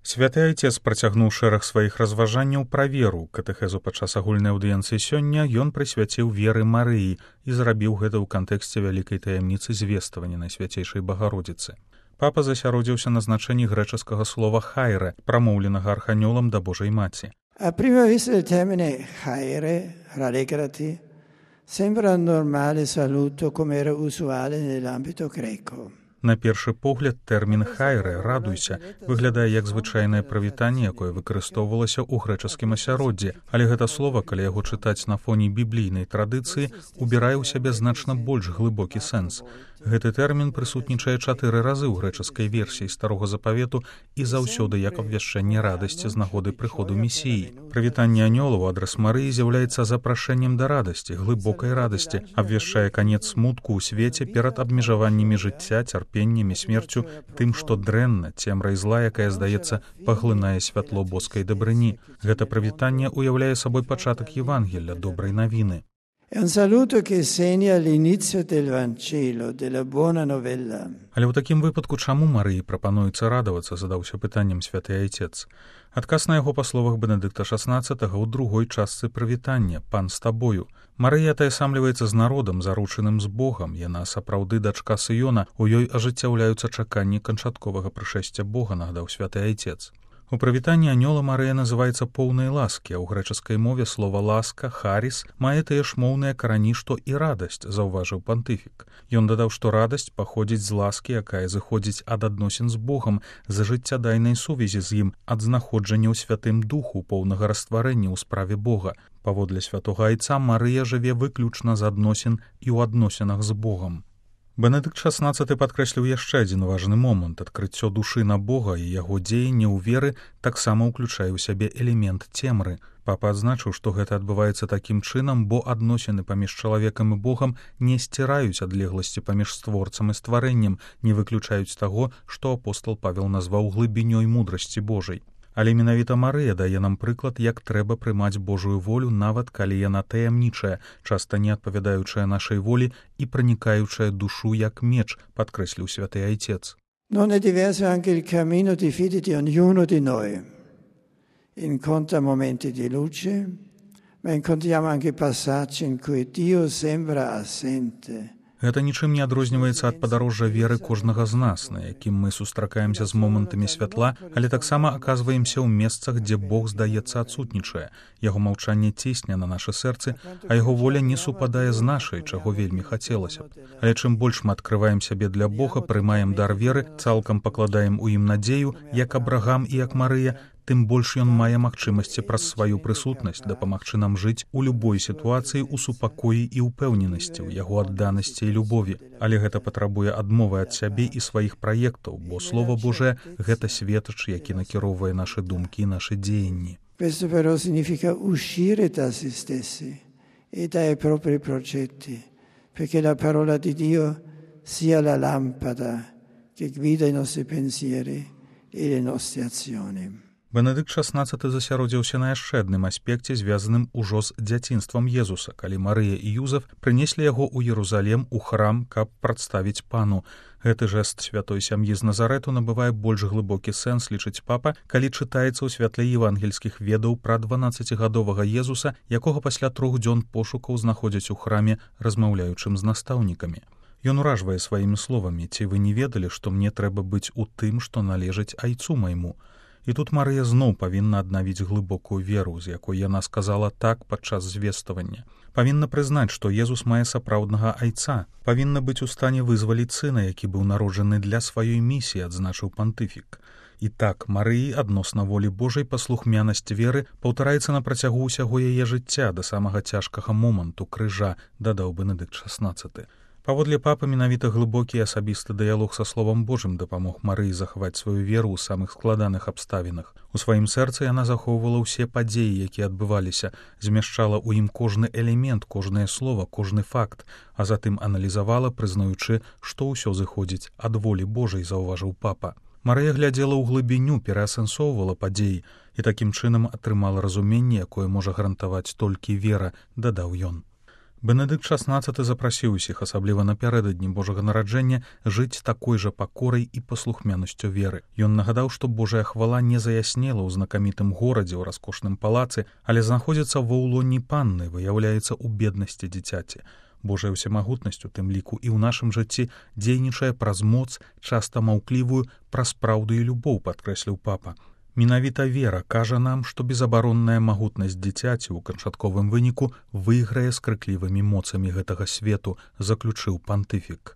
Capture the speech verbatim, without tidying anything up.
Святы айцец працягнуў шэраг сваіх разважанняў пра веру. Катэхезу падчас агульнай аўдыенцыі сёння ён прысвяціў веры Марыі і зрабіў гэта ў кантэксце вялікай таямніцы звествавання Найсвяцейшай Багародзіцы. Папа засяродзіўся на значэнні грэчаскага слова «хайре», прамоўленага арханёлам да Божай Маці. A prima vista il termine «хайре», «rallegrati», sembra un normale saluto come era usuale nell'ambito greco. На першы погляд, тэрмін «хайре» «радуйся» выглядае як звычайнае прывітанне, якое выкарыстоўвалася ў грэчаскім асяроддзі, але гэта слова, калі яго чытаць на фоне біблійнай традыцыі, убірае ў сябе значна больш глыбокі сэнс. Гэты тэрмін прысутнічае чатыры разы ў грэчаскай версіі Старога Запавету і заўсёды як абвяшчэнне радасці з нагоды прыходу Месіі. Прывітанне анёлаў у адрас Марыі з'яўляецца запрашэннем да радасці, глыбокай радасці, абвяшчае канец смутку ў свеце перад абмежаваннямі жыцця, цярпеннямі, смерцю, тым, што дрэнна, цемра і зла, якая, здаецца, паглынае святло боскай дабрыні. Гэта прывітанне уяўляе сабой пачатак Евангелля, добрай навіны. È un saluto che segna l'inizio del Vangelo, della buona novella. Але ў такім выпадку чаму Марыі прапануецца радавацца, задаўся пытаннем святы айцец. Адказ на яго па словах Бенедыкта шаснаццатага ў другой частцы прывітання «Пан з табою». Марыя атаясамліваецца з народам, заручаным з Богам. Яна сапраўды дачка Сыёна, у ёй ажыццяўляюцца чаканні канчатковага прышэсця Бога, нагадаў святы айцец. У прывітанні анёла Марыя называецца поўнай ласкі, а ў грэчаскай мове слова «ласка», «харис» мае тыя ж моўныя карані, што і радасць, заўважыў пантыфік. Ён дадаў, што радасць паходзіць з ласкі, якая зыходзіць ад адносін з Богам, з жыццядайнай сувязі з ім, ад знаходжання ў святым духу, поўнага растварэння ў справе Бога. Паводле святога айца Марыя жыве выключна з адносін і ў адносінах з Богам. Бенедыкт шаснаццаты падкрэсліў яшчэ адзін важны момант. Адкрыццё душы на Бога і яго дзеянне ў веры таксама ўключае ў сябе элемент цемры. Папа адзначыў, што гэта адбываецца такім чынам, бо адносіны паміж чалавекам і Богам не сціраюць адлегласці паміж створцам і стварэннем, не выключаюць таго, што апостал Павел назваў глыбінёй мудрасці Божай. Але менавіта Марыя дае нам прыклад, як трэба прымаць Божую волю, нават калі яна таямнічая, часта не адпавядаючая нашай волі і пранікаючая душу як меч, падкрэсліў святы айцец. Non è diverso anche il cammino di fede di ognuno di noi. Incontra momenti di luce, ma incontriamo anche passaggi in cui Dio sembra assente. Гэта нічым не адрозніваецца ад падарожжа веры кожнага з нас, на якім мы сустракаемся з момантамі святла, але таксама аказваемся ў месцах, дзе Бог, здаецца, адсутнічае. Яго маўчанне цісне на нашы сэрцы, а яго воля не супадае з нашай, чаго вельмі хацелася б. Але чым больш мы адкрываем сябе для Бога, прымаем дар веры, цалкам пакладаем у ім надзею, як Абрагам і як Марыя, тым больш ён мае магчымасці праз сваю прысутнасць дапамагчы нам жыць у любой сітуацыі ў супакоі і ўпэўненасці, у яго адданасці і любові. Але гэта патрабуе адмовы ад сябе і сваіх праектаў, бо Слова Божае — гэта светач, які накіроўвае нашы думкі і нашы дзеянні. Questo però significa uscire da se stessi e dai propri progetti, perché la parola di Dio sia la lampada che guida i nostri pensieri e le nostre azioni. Бенедыкт шаснаццаты засяродзіўся на яшчэ адным аспекце, звязаным ужо з дзяцінствам Езуса, калі Марыя і Юзеф прынеслі яго ў Ерусалем у храм, каб прадставіць пану. Гэты жэст святой сям'і з Назарэту набывае больш глыбокі сэнс, лічыць папа, калі чытаецца ў святле евангельскіх ведаў пра дванаццацігадовага Езуса, якога пасля трох дзён пошукаў знаходзяць у храме, размаўляючым з настаўнікамі. Ён уражвае сваімі словамі: «Ці вы не ведалі, што мне трэба быць у тым, што належыць айцу майму?» І тут Марыя зноў павінна аднавіць глыбокую веру, з якой яна сказала так падчас звествавання. Павінна прызнаць, што Езус мае сапраўднага айца, павінна быць у стане вызваліць сына, які быў народжаны для сваёй місіі, адзначыў пантыфік. І так, Марыі адносна волі Божай паслухмянасць веры паўтараецца на працягу ўсяго яе жыцця да самага цяжкага моманту крыжа, дадаў Бенедыкт шаснаццаты. Паводле папы, менавіта глыбокі асабісты дыялог са Словам Божым дапамог Марыі захаваць сваю веру ў самых складаных абставінах. У сваім сэрцы яна захоўвала ўсе падзеі, якія адбываліся, змяшчала ў ім кожны элемент, кожнае слова, кожны факт, а затым аналізавала, прызнаючы, што ўсё зыходзіць ад волі Божай, заўважыў папа. Марыя глядзела ў глыбіню, пераасэнсоўвала падзеі і такім чынам атрымала разуменне, якое можа гарантаваць толькі вера, дадаў ён. Бенедыкт шаснаццаты запрасіў усіх, асабліва напярэдадні Божага нараджэння, жыць такой жа пакорай і паслухмянасцю веры. Ён нагадаў, што Божая хвала не заяснела ў знакамітым горадзе, ў раскошным палацы, але знаходзіцца ва ўлоні панны, выяўляецца ў беднасці дзіцяці. Божая ўсемагутнасць, у тым ліку і ў нашым жыцці, дзейнічае праз моц, часта маўклівую, праз праўду і любоў, падкрэсліў папа. Менавіта вера кажа нам, што безабаронная магутнасць дзіцяці ў канчатковым выніку выйграе з крыклівымі моцамі гэтага свету, заключыў пантыфік.